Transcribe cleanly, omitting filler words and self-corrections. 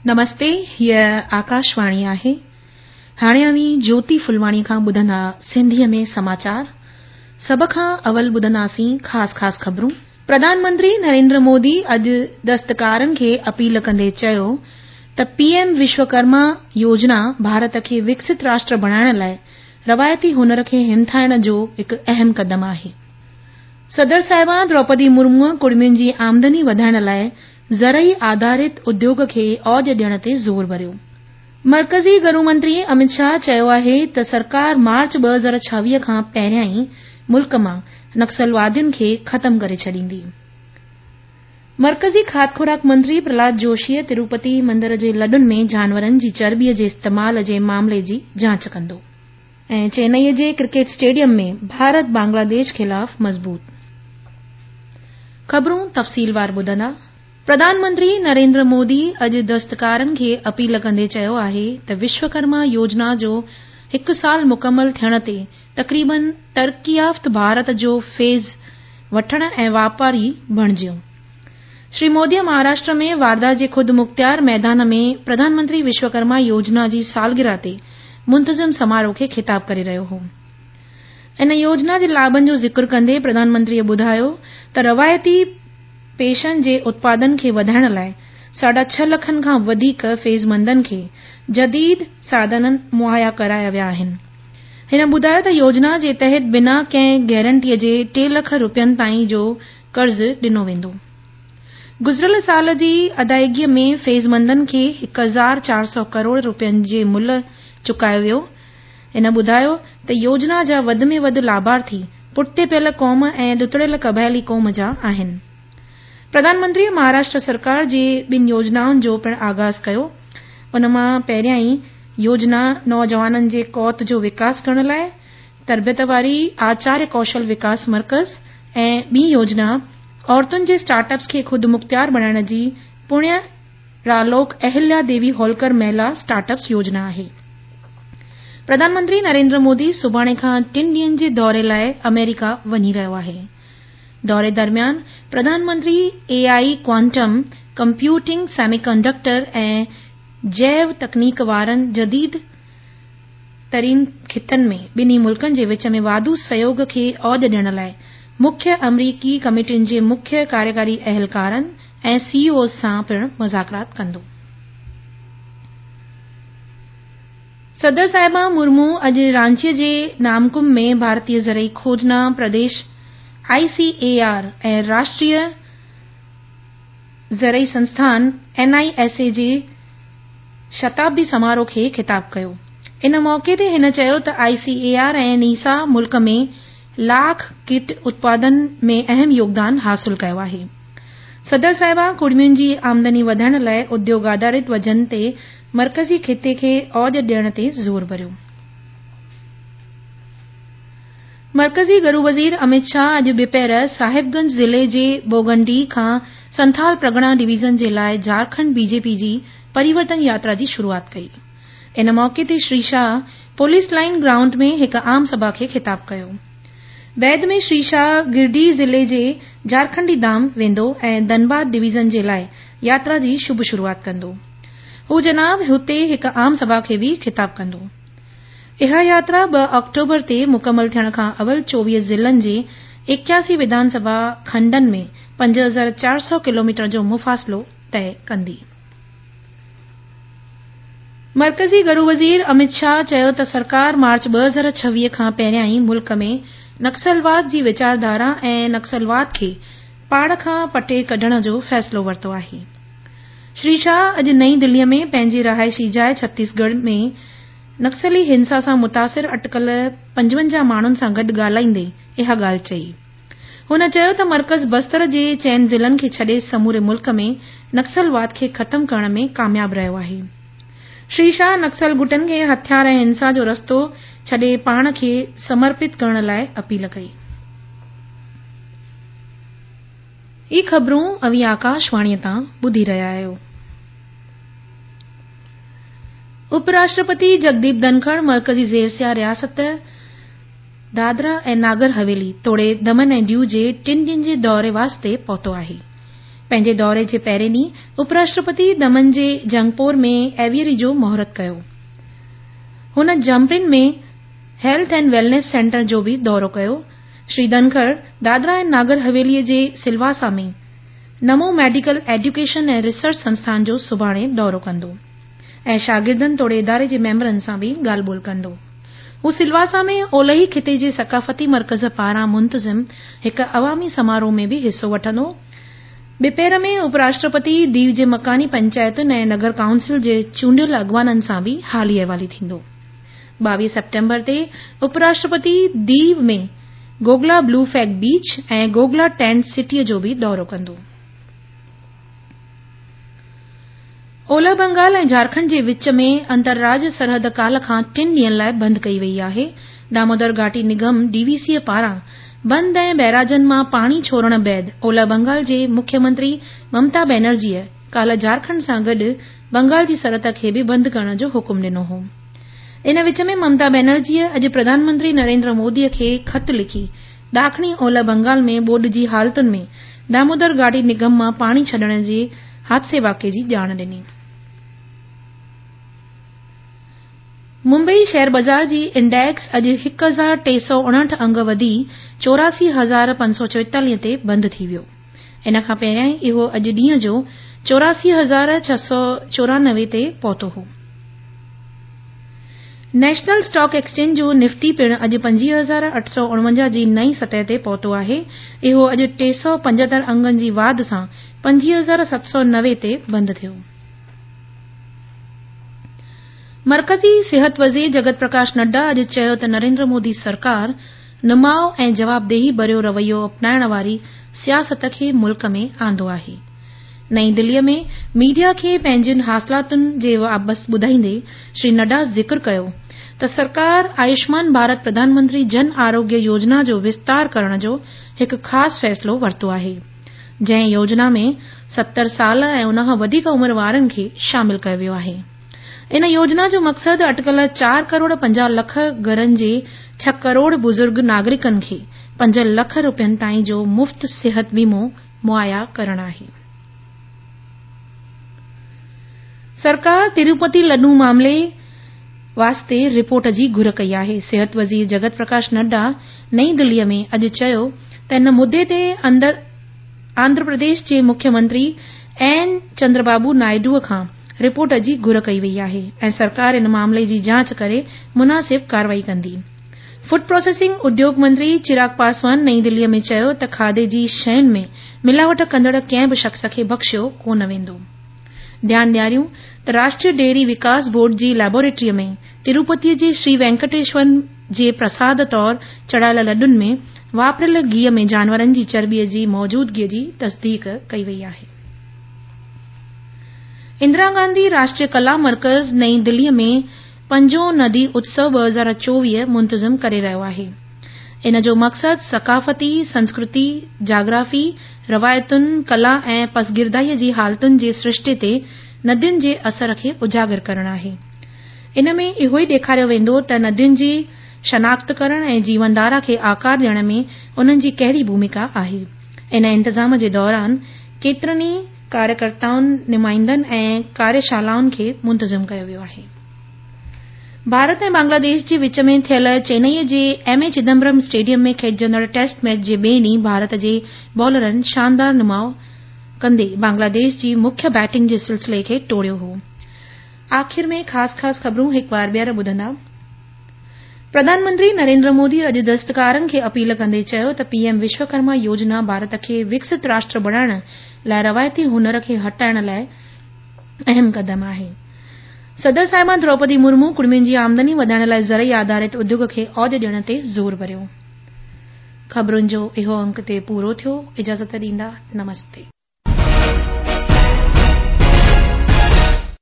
نمستي، هيء آڪاشواڻي آهي. هاڻي اوهين جوتي ڦلواڻي کان ٻڌندا سنڌيء ۾ سماچار. سڀ کان اول ٻڌنداسين خاص خاص خبرون. پرڌان منتري نريندر مودي اڄ دستڪارن کي اپيل ڪندي چيو ته پي ايم وشوڪرما يوجنا ڀارت کي وڪست راشٽر بڻائڻ لاء روايتي هنر کي همٿائڻ جو هڪ اهم قدم آهي. صدر صاحبان دروپدي مرموء ڪڙمين جي آمدني وڌائڻ لاء زرعي آڌارت اديوگ کي اوج ڏيڻ تي زور ڀريو. مرڪزي گهرو منتري امت شاهه چيو آهي ته سرڪار مارچ 2026 کان پهريان ئي ملڪ مان نڪسلوادين کي ختم ڪري ڇڏيندي. مرڪزي کاڌ خوراڪ منتري پرهلاد جوشيء تروپتي مندر جي لڏن ۾ جانورن جي چرٻيء جي استعمال جي معاملي جي جاچ ڪندو. ۽ چينئي جي ڪرڪيٽ اسٽيڊيم ۾ ڀارت بنگلاديش خلاف مضبوط. خبرون تفصيلوار ٻڌندا. پرڌان منتري نريندر مودي اڄ دستڪارن کي اپيل ڪندي چيو آهي ته وشوڪرما يوجنا جو هڪ سال مڪمل ٿيڻ تي تقريبن ترقيافت ڀارت جو فيض وٺڻ ۽ واپاري بڻجيو. شري موديء مهاراشٽر ۾ وارڌا جي خود مختيار ميدان ۾ پرڌان منتري وشوڪرما يوجنا جي سالگرهه تي منتظم سماروهه کي خطاب ڪري رهيو هو. ان يوجنا جي لاڀن جو ذڪر ڪندي پرڌان منتريء ٻڌايو ته روايتي پيشن جي اتپادن کي وڌائڻ لاء ساڍا ڇهه لکن کان وڌيڪ فيضمندن کي جديد ساڌن مهيا ڪرايا ويا آهن. هن ٻڌايو ته يوجنا جي تحت بنا ڪنهن گارنٽيء جي ٽي لک رپين تائين جو قرض ڏنو ويندو. گذريل سال جي ادائيگيء ۾ فيضمندن کي 1400 ڪروڙ رپين جي ملهه چڪايو ويو. هن ٻڌايو ته يوجنا جا وڌ ۾ وڌ لاڀارٿي پٺتي پيل قوم ۽ ڏتڙيل قبائلي قوم جا آهن. پرڌان منتريء مهاراشٽر سرڪار جي ٻن يوجنائن جو پڻ آغاز ڪيو. ان مان پهريائين يوجنا نوجوانن جي قوت جو وڪاس ڪرڻ لاء تربيت واري آچاريه ڪوشل وڪاس مرڪز ۽ ٻي يوجنا عورتن جي اسٽارٽ اپس کي خودمختيار بڻائڻ جي پڻيه رالوڪ اهليا ديوي هولڪر مهلا اسٽارٽ اپس يوجنا آهي. پرڌان منتري نريندر مودي سڀاڻي کان ٽن ڏينهن جي دوري لاء آمريڪا وڃي رهيو آهي. دوري درميان Pradhan Mantri A I, quantum computing, semiconductor ۽ جيو تڪنيڪ وارن جديد ترين خطن ۾ ٻنهي ملڪن جي وچ ۾ واڌو سهيوڳ کي اوج ڏيڻ لاء مکيه آمريڪي ڪمپنين جي مکيه ڪاريڪاري اهلڪارن ۽ سي اي اوز سان پڻ مذاڪرات ڪندو. صدر صاحبه مرمو اڄ رانچيء جي نامڪم ۾ ڀارتيه زرعي کوجنا پرديش، آء سي اي آر، ۽ راشٽريه زرعي سنسٿان، اين I S اي، جي شتابدي سماروهه کي خطاب ڪيو. ان موقعي تي هن چيو ته آء سي اي آر ۽ نيسا ملڪ ۾ لاک ڪيٽ اتپادن ۾ اهم يوگدان حاصل ڪيو آهي. صدر صاحبه ڪڙمين جي آمدني وڌائڻ لاء اديوگ آڌارت وزن تي مرڪزي خطي کي اوج ڏيڻ تي زور ڀريو. مرڪزي گهرو وزير امت شاهه اڄ ٻپهر صاحب گنج ضلعي جي بوگنڊي کان سنٿال پرڳڻا ڊويزن جي لاء جهارکنڊ بي جي پي جي پريورتن ياترا جي شروعات ڪئي. ان موقعي تي Shri Shah police line ground ۾ هڪ عام سڀا کي خطاب ڪيو. بعد ۾ شري شاهه گرڊيهه ضلعي جي جهارکنڊي دام ويندو ۽ ڌنباد ڊويزن جي لاء ياترا جي شڀ شروعات ڪندو. هو جناب هتي هڪ عام سڀا کي به خطاب ڪندو. اها ياترا 2 آڪٽوبر تي مڪمل ٿيڻ کان اول 24 ضلعن جي 81 وڌان سڀا کنڊن ۾ 5400 ڪلوميٽر جو مفاصلو طئي ڪندي. مرڪزي گهرو وزير امت شاهه چيو ته سرڪار مارچ 2026 کان پهريان ئي ملڪ ۾ نڪسلواد جي ويچارڌارا ۽ نڪسلواد کي پاڙ کان پٽي ڪڍڻ جو فيصلو ورتو آهي. شري شاهه اڄ نئين دليء ۾ پنهنجي رهائشي جاء ڇتيسڳڙهه ۾ نڪسلي هنسا سان متاثر اٽڪل 55 ماڻهن سان گڏ ڳالهائيندي اها ڳالهه چئي. هن چيو ته مرڪز بستر جي چئن ضلعن کي ڇڏي سموري ملڪ ۾ نڪسلواد کي ختم ڪرڻ ۾ ڪامياب رهيو آهي. شري شاهه نڪسل گٽن کي هٿيار ۽ هنسا جو رستو ڇڏي پاڻ کي سمرپت ڪرڻ لاء اپيل ڪئي. هي خبرون اوهين آڪاشواڻيء تان ٻڌي رهيا آهيو. اپ راشٽرپتي جگديپ ڌنکڙ مرڪزي زير رياست دادرا ۽ ناگر حويلي توڙي دمن ۽ ديو جي ٽن ڏينهن جي دوري واسطي پهتو آهي. پنهنجي دوري جي پهرين ڏينهن اپراشٽرپتي دمن جي جنگپور ۾ ايويئري جو مهورت ڪيو. هن جمپرين ۾ هيلٿ اينڊ ويلنيس سينٽر جو به دورو ڪيو. شري ڌنکڙ دادرا ۽ ناگر حويلي جي سلواسا ۾ نمو ميڊيڪل ايڊيوڪيشن ۽ ريسرچ سنسٿان جو سڀاڻي دورو ڪندو ۽ شاگردن توڙي اداري جي ميمبرن سان به ڳالهه ٻولهه ڪندو. هو سلواسا ۾ اولهي خطي جي ثقافتي مرڪز پاران منتظم هڪ عوامي سماروهه ۾ به حصو وٺندو. ٻپهر ۾ اپراشٽرپتي ديو جي مڪاني پنچائتن ۽ نگر ڪائونسل جي چونڊيل اڳواڻن سان به حالي احوالي ٿيندو. 22 سيپٽمبر تي اپراشٽرپتي ديو ۾ گوگلا بلو فيگ بيچ ۽ گوگلا ٽينٽ سٽيء جو به دورو ڪندو. اولهه بنگال ۽ جهارکنڊ جي وچ ۾ انترراجيه سرحد ڪالهه کان ٽن ڏينهن لاء بند ڪئي وئي آهي. دامودر گهاٽي نگم، ڊي وي سي، پاران بند ۽ بئراجن مان پاڻي ڇوڙڻ بعد اولهه بنگال جي مکيه منتري ممتا بينرجيء ڪالهه جهارکنڊ سان گڏ بنگال جي سرحد کي به بند ڪرڻ جو حڪم ڏنو هو. ان وچ ۾ ممتا بينرجيء اڄ پرڌان منتري نريندر موديء کي خط لکي ڏاکڻي اولهه بنگال ۾ ٻوڏ جي حالتن ۾ دامودر گهاٽي نگم مان پاڻي ڇڏڻ جي حادثي واقعي جي ڄاڻ ڏني. ممبئي شيئر بازار جي انڊيڪس اڄ 1359 انگ وڌي 84544 تي بند ٿي ويو. ان کان پهريائين اهو اڄ ڏينهن جو 84694 تي پهتو هو. نيشنل اسٽاڪ ايڪسچينج جو نفٽي پڻ اڄ 25849 جي نئين سطح تي پهتو آهي. اهو اڄ 375 انگن جي واڌ سان 25790 تي بند ٿيو. مرڪزي صحت وزير جگت پرڪاش نڊا اڄ چيو ته نريندر مودي سرڪار نماء ۽ جوابدهي ڀريو رويو اپنائڻ واري سياست کي ملڪ ۾ آندو آهي. نئين دليء ۾ ميڊيا کي پنهنجين حاصلاتن جي بابت ٻڌائيندي شري نڊا ذڪر ڪيو ته سرڪار آيوشمان ڀارت پرڌان منتري جن آروگيه يوجنا جو وستار ڪرڻ جو هڪ خاص فيصلو ورتو آهي جنهن يوجنا ۾ 70 سال ۽ ان کان وڌيڪ عمر وارن کي شامل ڪيو ويو آهي. ان يوجنا جو مقصد اٽڪل 4 ڪروڙ 50 لک گهرن جي 6 ڪروڙ بزرگ ناگرڪن کي 5 لک روپين تائين جو مفت صحت ويمو مهيا ڪرڻ آهي. سرڪار تروپتي لڏون معاملي واسطي رپورٽ جي گهر ڪئي آهي. صحت وزير جگت پرڪاش نڊا نئين دليء ۾ اڄ چيو ته ان مدي تي آنڌرا پرديش جي مکيه منتري اين چندربابو نائيڊوء کان رپورٽ جي گهر ڪئي وئي آهي ۽ سرڪار ان معاملي جي جاچ ڪري مناسب ڪارروائي ڪندي. فوڊ پروسيسنگ اديوگ منتري چراغ پاسوان نئين دليء ۾ چيو ته کاڌي جي شين ۾ ملاوٽ ڪندڙ ڪنهن به شخص کي بخشيو ڪونه ويندو. ڌيان ڏياريون ته راشٽريه ڊيري وڪاس بورڊ جي ليبارٽريء ۾ تروپتيء جي شري وينڪٽيشور جي پرساد طور چڙهايل لڏن ۾ واپريل گيهه ۾ جانورن جي چرٻيء جي موجودگيء جي تصديق ڪئي وئي آهي. اندرا گانڌي راشٽريه ڪلا مرڪز نئين دليء ۾ پنجون ندي اتسو 2024 منتظم ڪري رهيو آهي. ان جو مقصد ثقافتي، سنسڪرتي، جاگرافي، روايتن، ڪلا ۽ پسگردائيء جي حالتن جي سرشتي تي ندين جي اثر کي اجاگر ڪرڻ آهي. ان ۾ اهو ئي ڏيکاريو ويندو ته ندين جي شناخت ڪرڻ ۽ جيون ڌارا کي آڪار ڏيڻ ۾ انهن جي ڪهڙي ڀوميڪا آهي. ان انتظام جي دوران ڪيترن ئي ڪاريڪرتائن، نمائندن ۽ ڪاريشالائن کي منتظم ڪيو ويو آهي. ڀارت ۽ بنگلاديش جي وچ ۾ ٿيل چينئي جي ايم اي چدمبرم اسٽيڊيم ۾ کيڏجندڙ ٽيسٽ ميچ جي ٻئي ڏينهن ڀارت جي بالرن شاندار نماء ڪندي بنگلاديش جي مکيه بيٽنگ جي سلسلي کي ٽوڙيو هو. آخر ۾ خاص خاص خبرون هڪ وار ٻيهر ٻڌندا. پرڌان منتري نريندر مودي اڄ دستڪارن کي اپيل ڪندي چيو ته پي ايم وشوڪرما يوجنا ڀارت کي وڪست راشٽر بڻائڻ لاء روايتي هنر کي هٽائڻ لاء اهم قدم آهي. صدر صاحبه دروپدي مرمو ڪڙمين جي آمدني وڌائڻ لاء زرعي آڌارت اديوگ کي اوج ڏيڻ تي زور ڀريو. خبرن جو اهو انڪ هتي پورو ٿيو. اجازت ڏيندا. نمستي.